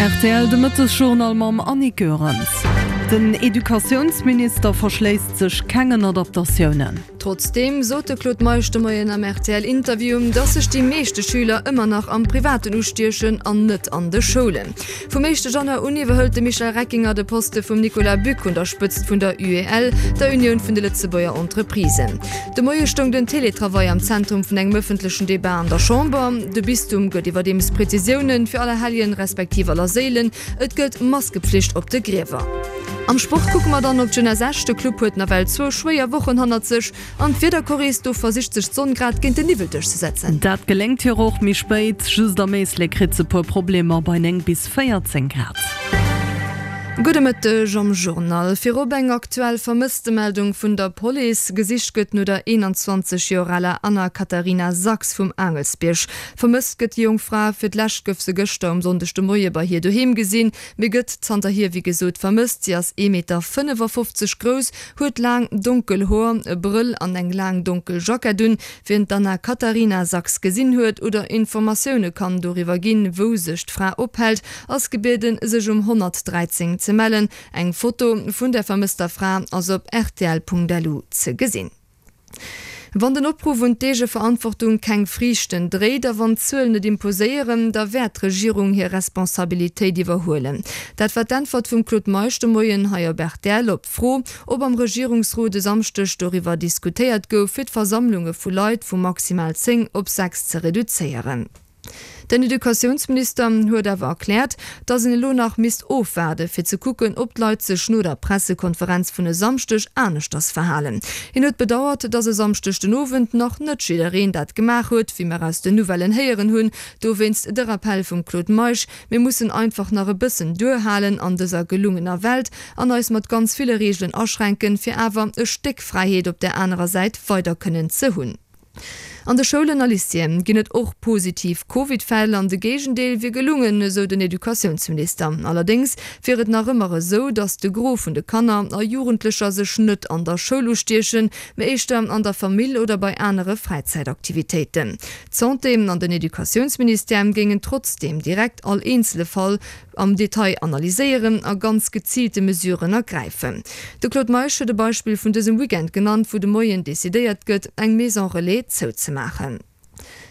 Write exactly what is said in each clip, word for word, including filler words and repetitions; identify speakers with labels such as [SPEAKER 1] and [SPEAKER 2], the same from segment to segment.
[SPEAKER 1] Rtl de Mëttesjournal mam Annick Goerens. Den Educatiounsminister verschléisst sech kengen Adaptatiounen.
[SPEAKER 2] Trotzdeem sot de Claude Meisch de Moien am RTL-Interview, dass sech déi meeschte Schüler ëmmer nach am Privaten ustiechen an net an de Schoulen. Vum éischte Januar un iwwerhëlt de Michel Reckinger de Poste vum Nicolas Buck un der Spëtzt vun der UEL, der Unioun vun de Lëtzebuerger Entreprisen. De Moie stoung den Teletravail am Zentrum vun engem ëffentlechen Debat an der Chamber. De Bistum gëtt iwwerdeems Prezisiounen fir Allerhelljen respektiv Allerséilen, et gëllt Maskepflicht op de Griewer. Am Sport kucke mer dann op d'Jeunesse Esch. De Club huet nawell zwou schwéier Wochen hannert sech. An d'Wiederchorist do versicht sech d'Sonn grad géint den Niwwel duerchzesetzen.
[SPEAKER 1] Dat geléngt hir och méi spéit, just am Éislek kritt se puer Problemer bei néng bis véierzéng Grad.
[SPEAKER 2] Gudde Mëtteg am Journal. Virop eng aktuell Vermësstemeldung vun der Police. Gesicht gëtt no der eenanzwanzeg Joer aler Anna Katharina Sachs vum Aangelsbierg. Vermësst gëtt déi jonk Fra. Fir d'lescht gouf se gëschter um Sonndeg de Moie bei hir doheem gesinn, mee gëtt zanterhier wéi gesot vermësst. Si ass ee Meter fënnefafofzeg grouss, huet laang donkel Hoer, e Brëll an eng laang donkel Jackett un. Wien d'Anna Katharina Sachs gesinn huet oder Informatioune kann doriwwer ginn, wou sech d'Fra ophält, ass gebieden, sech um honnertdräizéng ze mellen. Eng Foto vun der vermësster Fra ass op rtl.lu ze gesinn. Wann den Opruff un d'Eegeverantwortung keng Friichten dréit a wann d'Zuelen net imposéieren, da wäert d'Regierung hir Responsabilitéit iwwerhuelen. Dat war d'Äntwert vum Claude Meisch de Moien hei op rtl op d'Fro, ob am Regierungsrot e Samschdeg doriwwer diskutéiert gouf, fir d'Versammlunge vu Leit vu maximal zéng op sechs ze reduzéieren. Den Educatiounsminister huet awer erkläert, datt een elo nach misst ofwaarde fir ze kucken, ob d'Leit sech no der Pressekonferenz vun e Samschdeg aneschters verhalen. Hien huet bedauert, datt e Samschdeg den Owend nach net jiddereen dat gemaach huet, wéi mer aus den Nouvellen héieren hunn. Dowéinst de Rappell vum Claude Meisch, Mir mussen einfach nach e bëssen duerhalen an dëser gelungener Welt an eis mat ganz ville Reegelen aschränken, fir awer e Stéck Fräiheet op där anerer Säit weider kënnen ze hunn. An de Schoulen a Lycéeë ginn et och positiv Covid-Fäll an de Géigendeel wier gelungen, esou den Educatiounsminister. Allerdéngs wier et nach ëmmer esou, datt de Gros vun de Kanner a Jugendlecher sech net an der Schoul ustiechen, mee éischter an der Famill oder bei anere Fräizäitaktivitéiten. D'Santé an den Educatiounsministère géingen trotzdeem direkt all eenzele Fall am Detail analyséieren a ganz geziilte Mesuren ergräifen. De Claude Meisch huet e Beispill vun dësem Weekend genannt, wou de Moien decidéiert gëtt, eng Maison Relais zouzemaachen.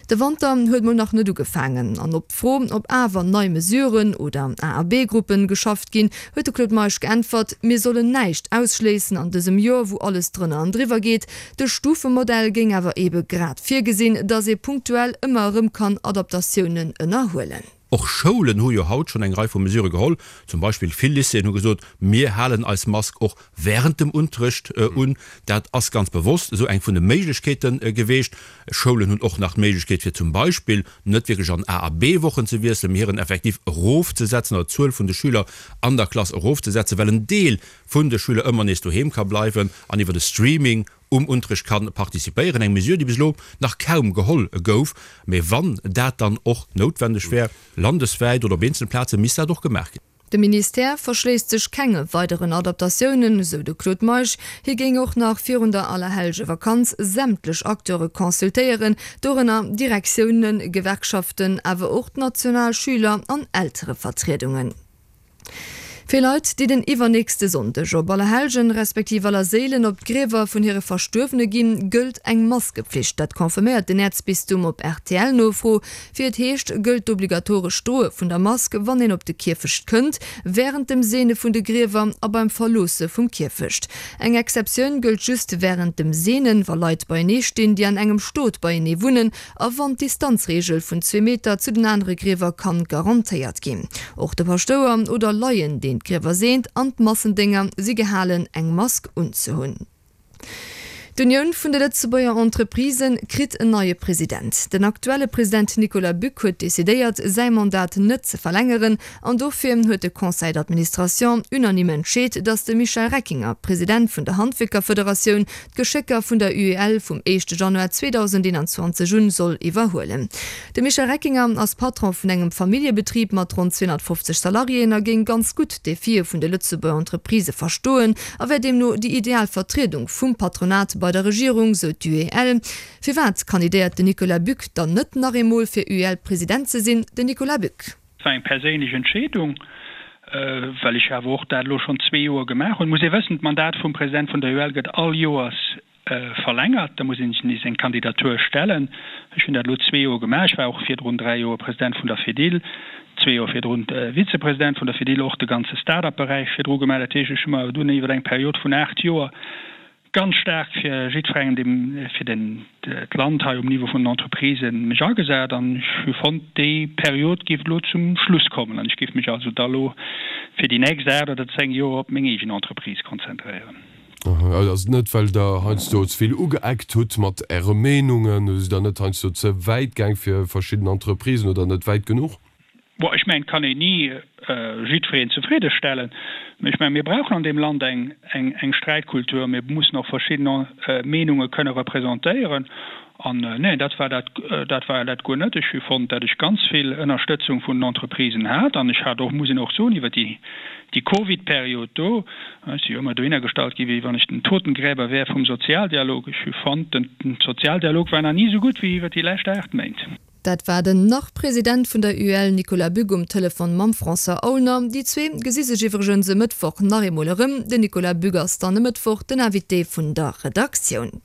[SPEAKER 2] De Wanter huet mol nach net ugefaangen an op d'Fro, ob awer nei Mesuren oder A a B-Gruppen geschafft ginn, huet de Claude Meisch geäntwert, Mir sollen näischt ausschléissen an dësem Joer, wou alles drënner an driwwer geet. De Stufemodell géing awer eebe grad virgesinn, datt ee punktuell ëmmer erëm kann Adaptatiounen ënnerhuelen.
[SPEAKER 3] Och Schoulen hu jo haut schonn eng Rei vu Mesurë geholl. Zum Beispill vill Lycéeën hu gesot, Mir halen eis Mask och wärend dem Unterrecht un. Dat ass ganz bewosst esou eng vun de Méiglechkeete geweecht. Schoulen hunn och nach d'Méiglechkeet, fir zum Beispill net wierklech an A a B-Wochen ze wiesselen, mee hiren Effectif erofzesetzen oder d'Zuel vun de Schüler an der Klass erofzesetzen, well en Deel vun de Schüler ëmmer nees doheem ka bleiwen an iwwer de Streaming um Unterrecht ka participéieren, eng Mesure, déi bis elo nach kaum geholl gouf. Mee wann dat dann och noutwendeg wär, landeswäit oder op eenzele Plazen, misst dat och gemaach ginn.
[SPEAKER 2] De Ministère verschléisst sech kenge weideren Adaptatiounen, esou de Claude Meisch. Hie géing och nach virun der Allerhellgevakanz sämtlech Acteure consultéieren, dorënner Direktiounen, Gewerkschaften, awer och d'national Schüler an Elterevertriedungen. Fir Leit, déi den iwwernächste Sonndeg op Allerhellgen, respektiv Allerséilen op d'Griewer vun hire Verstuerwene ginn, gëllt eng Maskepflicht. Dat confirméiert den Äerzbistum op RTL-Nofro. Wéi et heescht, gëllt d'obligatorescht Droe vun der Mask, wann een op de Kierfecht kënnt, wärend dem Seene vun de Griewer a beim Verloosse vum Kierfecht. Eng Exceptioun gëllt just wärend dem Seenen, wa Leit beienee stinn, déi an engem Stot beienee wunnen a wann d'Distanzreegel vun zwee Meter zu den anere Griewer kann garantéiert ginn. Och de Paschtouer oder Laien, deen d'Griewer seent, an d'Massendénger si gehalen, eng Mask unzehunn. D'Unioun vun de Lëtzebuerger Entreprisë kritt en neie President. Den aktuelle President Nicolas Buck huet decidéiert, säi Mandat net ze verlängeren an dofir huet de Conseil d'administration unanime entscheet, datt de Michel Reckinger, President vun der Handwierkerfederatioun, d'Geschécker vun der U E L vum éischte Januar zweedausendeenanzwanzeg un soll iwwerhuelen. De Michel Reckinger ass Patron vun engem Familljebetrib mat ronn zweehonnertfofzeg Salariéen a géing ganz gutt d'Defie vun de Lëtzebuerger Entreprisë verstoen a wär deemno déi ideal Vertriedung vum Patronat bei der Regierung, sou d'U E L. Firwat kandidéiert den Nicolas Buck dann net nach eemol fir U E L-President ze sinn? Den Nicolas Buck.
[SPEAKER 4] War eng perséinlech Entscheedung, well ech awer och dat elo schonn zwee Joer gemaach hunn. Muss ee wëssen, d'Mandat vum President vun der U L gëtt all Joers verlängert, da muss een sech nees eng Kandidatur stellen. Ech hunn dat elo zwee Joer gemaach. Ech war och virdrun dräi Joer President vun der Fedil, zwee Joer virdrun Vizepresident vun der Fedil, och de ganze Start-up-Beräich virdru gemaach. Dat heescht, ech hu mer dunn iwwer eng Period vun aacht Joer ganz staark fir jiddwerengem, deem fir den d'Land hei um Niveau vun den Entreprisen mech agesat an ech hu fonnt, déi Period géif elo zum Schluss kommen an ech géif mech also da elo fir déi nächst aacht oder zéng Joer op meng eegen Entreprise konzentréieren.
[SPEAKER 5] Aha, ass et net, well Der heiansdo ze vill ugeeckt hutt mat Äre Meenungen? Sidd Der net heiansdo ze wäit gaang fir verschidden Entreprisen oder net wäit genuch?
[SPEAKER 4] Bon, ech mengen, et kann een ni jiddwereen zefridde stellen, mä ech mengen, mir brauchen an deem Land eng, eng, eng Sträitkultur. Mir mussen och verschidden Meenunge kënne representéieren. An neen, dat war dat, dat war dat guer net. Ech hu fonnt, datt ech ganz vill Ënnerstëtzung vun den Entreprisen hat. An ech hat och, muss een och soen, iwwer déi, déi Covid-Period do, ech si jo ëmmer dohinner gestallt gi wéi wann ech den Totengräber wär vum Sozialdialog, ech hu fonnt, den Sozialdialog war nach ni esou gutt wéi iwwer déi lescht aacht Méint.
[SPEAKER 2] Dat war den Nach-President vun der U L Nicolas Bück um Telefon mam François Aulner. Déi zwee gesi sech iwwregens e Mëttwoch nach eemol erëm. Den Nicolas Bück ass dann e Mëttwoch den Invité vun der Redaktioun.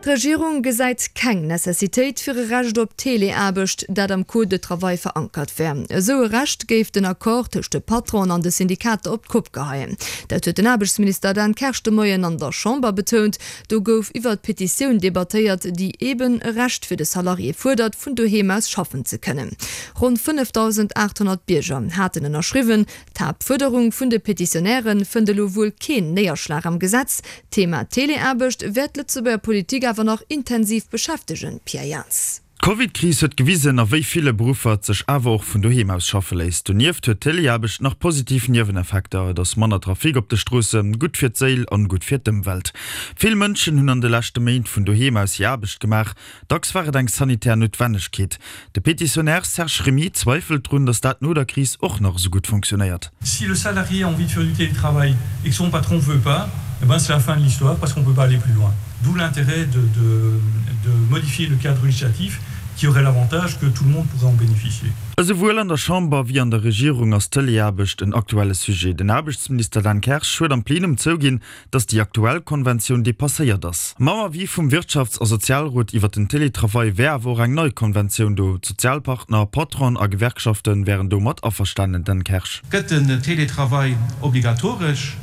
[SPEAKER 2] D'Regierung gesäit keng Necessitéit fir e Recht op Teleaarbecht, dat am Code de travail verankert wär. Esou e Recht géif den Accord tëscht de Patronen an de Syndikater op d'Kopp geheien. Dat huet den Aarbechtsminister Dan Kersch de Moien an der Chamber betount. Do gouf iwwert d'Petitioun debattéiert, déi eeben e Recht fir de Salarié fuerdert, vun doheem aus schaffen ze kënnen. Ronn fënnefdausendaathonnert Bierger haten ënnerschriwwen. D'Haaptfuerderung vun de Petitionäre fënnt elo wuel keen Néierschlag am Gesetz. D'Thema Teleaarbecht wäert d'Lëtzebuerger Politik awer nach intensiv beschäftegen, Pierre Jans.
[SPEAKER 6] D'Covid-Kris huet gewisen, a wéi ville Beruffer et sech awer och vun doheem aus schaffe léisst. Donieft huet d'Teleaarbecht nach positiv Nieweneffekter, Et ass manner Trafic op de Stroossen, gutt fir d'Séil an gutt fir d'Ëmwelt. Vill Mënschen hunn an de leschte Méint vun doheem aus hir Aarbecht gemaach. Dacks war et eng sanitär Noutwennegkeet. De Petitionär Serge Remy zweifelt drun, datt dat no der Kris och nach esou gutt funktionéiert.
[SPEAKER 7] Si le salarié a envie de faire du télétravail et que son patron veut pas, eh ben c'est la fin de l'histoire parce qu'on peut pas aller plus loin. D'où l'intérêt de, de, de modifier le cadre législatif qui aurait l'avantage que tout le monde pourrait en bénéficier.
[SPEAKER 6] Esouwuel an der Chamber wéi an der Regierung ass d'Teleaarbecht en aktuelle Sujet. Den Aarbechtsminister Dan Kersch huet am Plenum zouginn, datt déi aktuell Konventioun depasséiert ass. Mam Avis vum Wirtschafts a Sozialrot iwwer den Teletravail wär awer och eng nei Konventioun do. D'Sozialpartner, Patronen a Gewerkschaften wären domat averstanen. Dan Kersch.
[SPEAKER 8] Gëtt den Teletravail obligatoresch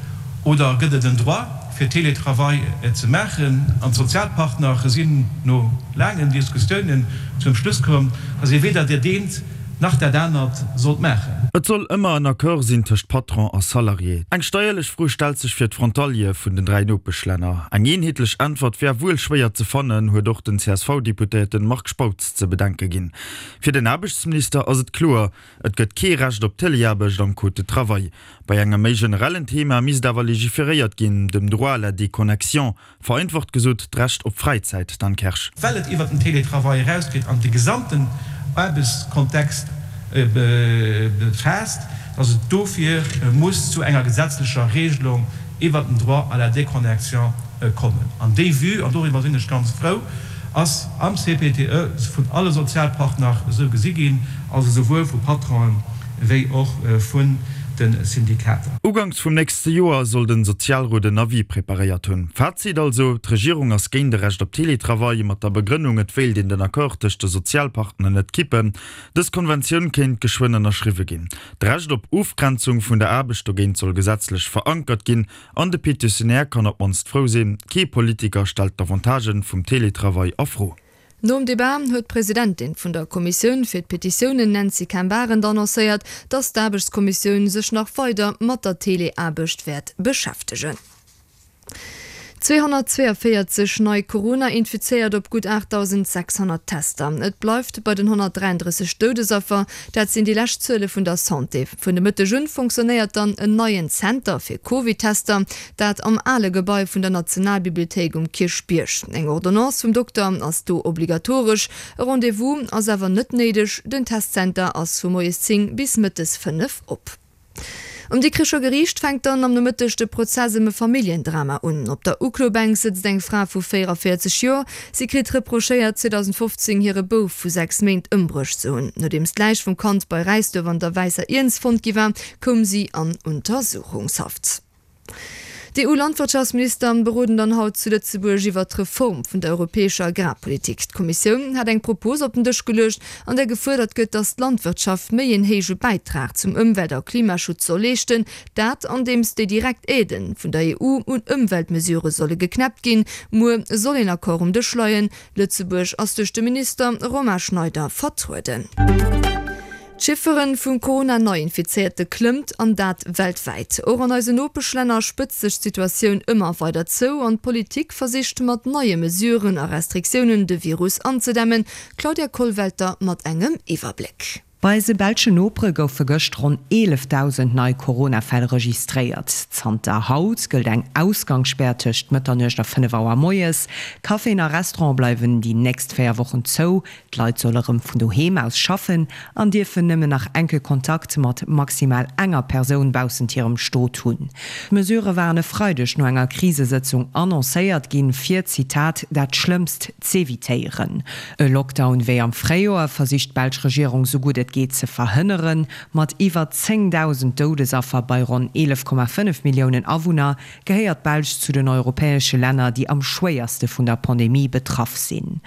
[SPEAKER 8] oder gëtt et en Droit, fir Teletravail ze maachen? An d'Sozialpartner sinn no laangen Diskussiounen zum Schluss komm, datt ee weder dat eent nach dat anert sollt maachen.
[SPEAKER 6] Et soll ëmmer en Accord sinn tëscht Patron a Salarié. Eng steierlech Fro stellt sech fir d'Frontaliere vun den dräi Nopeschlänner. Eng eenheetlech Äntwert wär wuel schwéier ze fannen, huet och den C S V-Deputéierte Marc Spautz ze bedenke ginn. Fir den Aarbechtsminister ass et kloer, Et gëtt kee Recht op Teleaarbecht am Code de travail. Bei engem méi generellen Thema misst awer legiferéiert ginn, dem Droit à la déconnexion, vereinfacht gesot d'Recht op Fräizäit. Dan Kersch.
[SPEAKER 8] Well et iwwert den Télétravail erausgeet an de gesamten Aarbechtskontext befaasst, dass et dofir muss zu enger gesetzlecher Regelung iwwert den Droit à la déconnexion kommen. An déi Vue, an doriwwer sinn ech ganz frou, ass am C P T E vun alle Sozialpartner esou gesi ginn, also souwuel vu Patronen wéi och vun de Syndikater.
[SPEAKER 6] Uganks vum nächste Joer soll den Sozialrot en Avis preparéiert hunn. Fazit also, D'Regierung ass géint de Recht op Teletravail, mat der Begrënnung, et wéilt een den Accord tëscht de Sozialpartner net kippen. Dës Konventioun kéint geschwënn ënnerschriwwe ginn. D'Recht op Ofgrenzung vun der Aarbecht dogéint soll gesetzlech verankert ginn. An de Petitionär kann op d'mannst frou sinn, kee Politiker stellt d'Avantagen vum Teletravail a Fro.
[SPEAKER 2] Nom Debat huet d'Presidentin vun der Kommissioun fir d'Petitiounen Nancy Cain-Barend annoncéiert, datt d'Aarbechtskommissioun sech nach weider mat der Teleaarbecht wäert beschäftegen. Zweehonnertzweeënvéierzeg nei Corona-Infizéiert op gutt aachtdausendsechshonnert Tester. Et bleift bei den honnertdräianddrësseg Doudesaffer, dat sinn déi lescht Zuele vun der Santé. Vun de Mëtteg un funktionéiert dann en neien Zenter fir Covid-Tester, dat am ale Gebai vun der Nationalbibliothéik um Kierchbierg. Eng Ordonnance vum Dokter ass do obligatoresch, e Rendez-vous ass awer net néideg. Den Testzenter ass vu moies zéng bis mëttes fënnef op. Um Dikricher Geriicht fänkt dann am Nomëtteg de Prozess ëm e Familljendrama un. Op der Uklobänk sëtzt eng Fra vu véieranvéierzeg Joer. Si kritt reprochéiert, zweedausendfofzéng hire Bouf vu sechs Méint ëmbruecht ze hunn. Nodeems d'Läich vum Kand bei Räisduerf an der Wäisser Iernz fonnt gi war, koum si an Untersuchungshaft. D'EU-Landwirtschaftsminister beroden dann haut zu Lëtzebuerg iwwert d'Reform vun der europäescher Agrarpolitik. D'Kommissioun hat eng Propos op den Dësch geluecht, an där gefuerdert gëtt, datt d'Landwirtschaft méi een héije Bäitrag zum Ëmwelt a Klimaschutz soll leeschten. Dat andeems déi direkt Aiden vun der E U un Ëmweltmesurë solle geknäppt ginn. Muer soll een Accord um Dësch leien. Lëtzebuerg ass duerch de Minister Romain Schneider vertrueden. D'Chifferen vu Corona-Neiinfizéierte klëmmt, an dat weltwäit. Och an eisen Nopeschlänner spëtzt sech d'Situatioun ëmmer weider zou an d'Politik versicht mat neie Mesuren a Restriktiounen de Virus anzedämmen. D'Claudia Kollwelter mat engem Iwwerbléck.
[SPEAKER 9] Bei eise belsche Nopere goufe gëscht ronn eelefdausend nei Corona-Fäll registréiert. Zanter haut gëllt eng Ausgangsspär tëscht Mëtternuecht a fënnef Auer moies. Caféen a Restaurante bleiwen déi nächst véier Wochen zou. D'Leit solle rëm vun doheem aus schaffen an dierfen nëmmen nach enke Kontakt mat maximal enger Persoun baussent hirem Stot hunn. D'Mesurë waren e Freideg no enger Krisesëtzung annoncéiert ginn, fir, Zitat, dat Schlëmmst z'evitéieren. E Lockdown wéi am Fréijoer versicht d'belsch Regierung sou gutt et geet ze verhënneren. Mat iwwer zéngdausend Doudesaffer bei ronn eelef Komma fënnef Milliounen Awunner gehéiert d'Belsch zu den europäesche Länner, déi am schwéierste vun der Pandemie betraff sinn.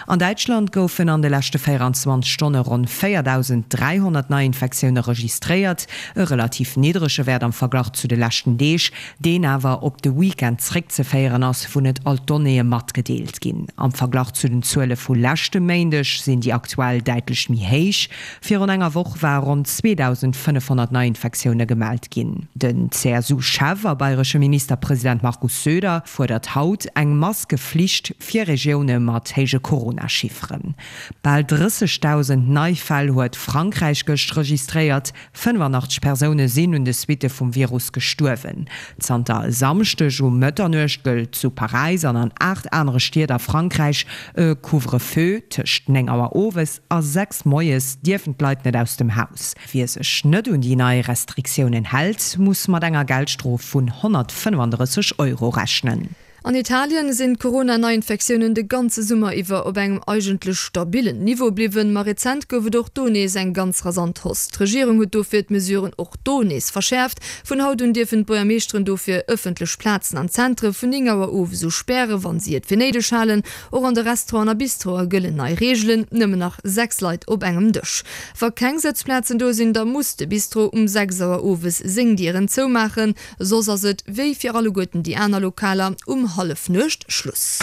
[SPEAKER 9] An Däitschland goufen an de leschte véieranzwanzeg Stonne ronn véierdausend dräihonnert Neiinfektioune registréiert, e relativ niddrege Wäert am Verglach zu de leschten Deeg, deen awer op de Weekend zréckzeféieren ass, wou net all d'Donnéeë matgedeelt ginn. Am Verglach zu den Zuele vu leschte Méindeg sinn déi aktuell däitlech méi héich. Virun enger Woch ware ronn zweedausendfënnefhonnert Neiinfektioune gemellt ginn. Den C S U-Chef a bayresche Ministerpresident Markus Söder fuerdert haut eng Maskeflicht fir Regioune mat héije Corona-Chifferen. Bal drëssegdausend nei Fäll huet Frankräich gëscht registréiert, fënnefanachteg Persoune sinn un de Suitte vum Virus gestuerwen. Zanter e Samschdeg um Mëtternuecht gëllt zu Paräis an an aacht anere Stied a Frankräich e Couvre-feu, Tëscht néng Auer owes a sechs moies dierfen d'Leit net aus dem Haus. Wie sech net un déi nei Restriktiounen hält, muss mat enger Geldstrof vun honnertfënnefandrësseg Euro rechnen.
[SPEAKER 2] An Italien sinn d'Corona-Neiinfektiounen de ganze Summer iwwer op engem eigentlech stabillen Niveau bliwwen, ma rezent gouf et och do nees eng ganz rasant Hausse. D'Regierung huet dofir d'Mesuren och do nees verschäerft. Vun haut un dierfen d'Buergermeeschteren dofir ëffentlech Plazen an Zentre vun néng Auer owes u spären, wann si et fir néideg halen. Och an de Restauranten a Bistroe gëllen nei Reegelen, nëmmen nach sechs Leit op engem Dësch. Wa keng Sëtzplazen do sinn, da muss de Bistro um sechs Auer owes seng Dieren zoumaachen. Soss ass et, wéi fir alleguerten déi aner Lokaler, um Hallefnuecht Schluss.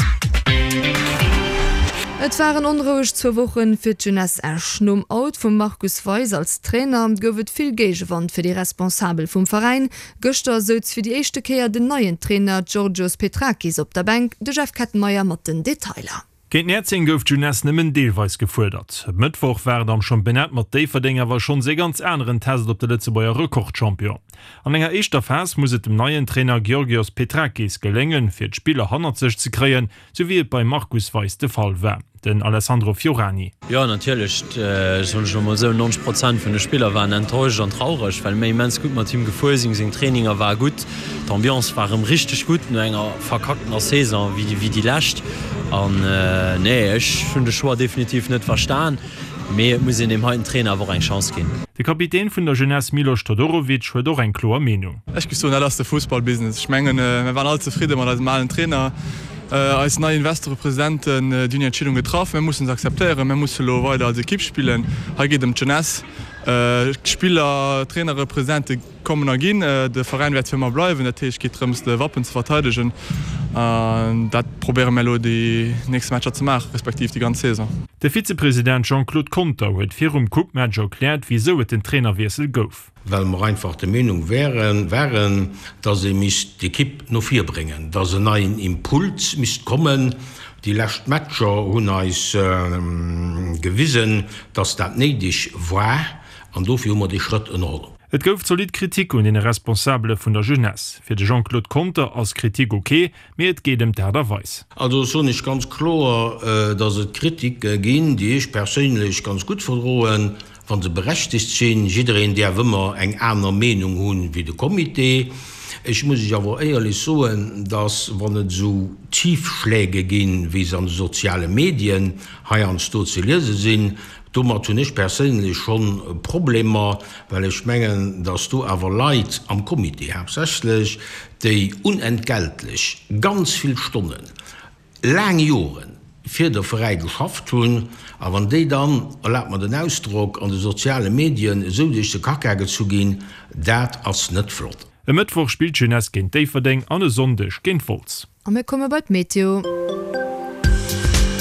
[SPEAKER 2] Et waren onroueg zwou Wochen fir d'Jeunesse Esch. Nom Out vum Markus Weis als Trainer gouf et vill Géigewand fir déi Responsabel vum Veräin. Gëschter souz fir déi éischte Kéier den neien Trainer Georgios Petrakis op der Bänk. De Jeff Kettenmeyer mat den Detailer.
[SPEAKER 10] Géint Näerzeng gouf d'Jeunesse nëmmen deelweis gefuerdert. E Mëttwoch war et am Championnat mat Déifferdeng awer schonns ee ganz aneren Test op de Lëtzebuerger Rekordchampion. An enger éischter Phas muss et dem neien Trainer Georgios Petrakis geléngen, fir d'Spiller hannert sech ze kréien, sou wéi et beim Markus Weis de Fall war. Den Alessandro Fiorani.
[SPEAKER 11] Jo, natierlech, soen ech elo mol esou, neunzeg Prozent vun de Spiller waren enttäuscht an traureg, well mir immens gutt mat him gefuer sinn. Seng Traininger ware gutt, d'Ambiance war erëm richteg gutt no enger verkacktener Saison wéi déi lescht. An nee, ech hunn de Choix definitiv net verstan, mee et muss een deem heiten Trainer awer och eng Chance ginn.
[SPEAKER 10] De Kapitän vun der Jeunesse Milos Todorovic huet och eng kloer Meenung.
[SPEAKER 12] Ech géif soen, dat ass de Fussballbusiness. Ech mengen, mir waren all zefridde mat eisem alen Trainer. Eis nei Investoren, Presidenten, déi hunn hir Entscheedung getraff. Mir mussen se akzeptéieren. Mir musse lo weider als Ekipp spillen. Hei geet et ëm d'Jeunesse. D'Spiller, Trainere, Presidente kommen a ginn. De Veräin wäert fir ëmmer bleiwen. Dat heescht, et geet drëms, de Wappen ze verteidegen. An dat probéiere mir elo déi nächste Matcher ze maachen, respektiv déi ganz Saison.
[SPEAKER 10] De Vizepresident Jean-Claude Conter huet virum Coupe-Match erkläert, wisou et den Trainerwiessel gouf.
[SPEAKER 13] Well mer einfach der Meenung wären, waren, dass ee misst d'Ekipp no vir bréngen, dass en neien Impuls misst kommen. Déi lescht Matcher hunn eis gewisen, dass dat néideg war an dofir hu mer dee Schrëtt ënnerholl.
[SPEAKER 10] Et gouf zolidd Kritik un deene Responsabele vun der Jeunesse. Fir de Jean-Claude Conter ass Kritik ok, mee et geet ëm d'Aart a Weis.
[SPEAKER 13] Also soen ech ganz kloer, datt et Kritike ginn, déi ech perséinlech ganz gutt verdroen, wa se berechtegt sinn. Jiddereen däerf ëmmer eng aner Meenung hunn wéi de Comité. Ech muss Iech awer éierlech soen, datt wann et esou Tiefschläge ginn, wéi se an de soziale Medien heiansdo ze liese sinn, domat hunn ech perséinlech schonn Problemer, well ech mengen, datt do awer Leit am Comité haaptsächlech, déi unentgeltlech ganz vill Stonnen, laang Joren fir de Veräi geschafft hunn, a wann déi dann, erlaabt mer den Ausdrock, an de soziale Medien esou duerch de Kacka gezu ginn, dat ass net flott.
[SPEAKER 10] E Mëttwoch spillt d'Jeunesse géint Déifferdeng an e Sonndeg géint Wolz.
[SPEAKER 2] A mir komme bei d'Meteo.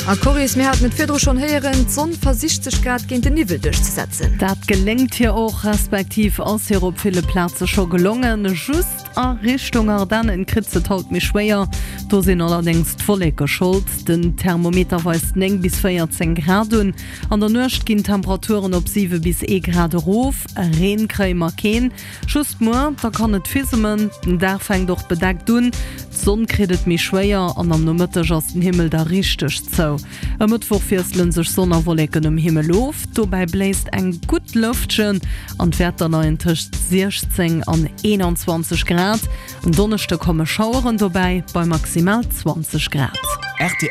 [SPEAKER 2] A Coris, mir haten et virdru schonn héieren, d'Sonn versicht sech grad géint den Niwwel duerchzesetzen.
[SPEAKER 1] Dat geléngt hir och, respektiv ass hir op ville Plaze scho gelongen. Just a Richtung Ardennen kritt se et haut méi schwéier. Do sinn allerdéngs d'Wolleke Schold. Den Thermometer weist néng bis véierzéng Grad un. An der Nuecht ginn d'Temperaturen op siwe bis ee Grad erof. Reen kréie mer keen, just muer, da kann et fissemen. Den Dag fänkt och bedeckt un, d'Sonn kritt et méi schwéier an am Nomëtteg ass den Himmel da richteg zou. E Mëttwoch wiessele sech Sonn a Wolleken um Himmel of, dobäi bléist eng gutt Lëftchen an d'Wäerter leien tëscht siechzéng an eenanzwanzeg Grad. En Donneschde komme Schaueren dobäi bei maximal zwanzeg Grad.
[SPEAKER 14] Rtl.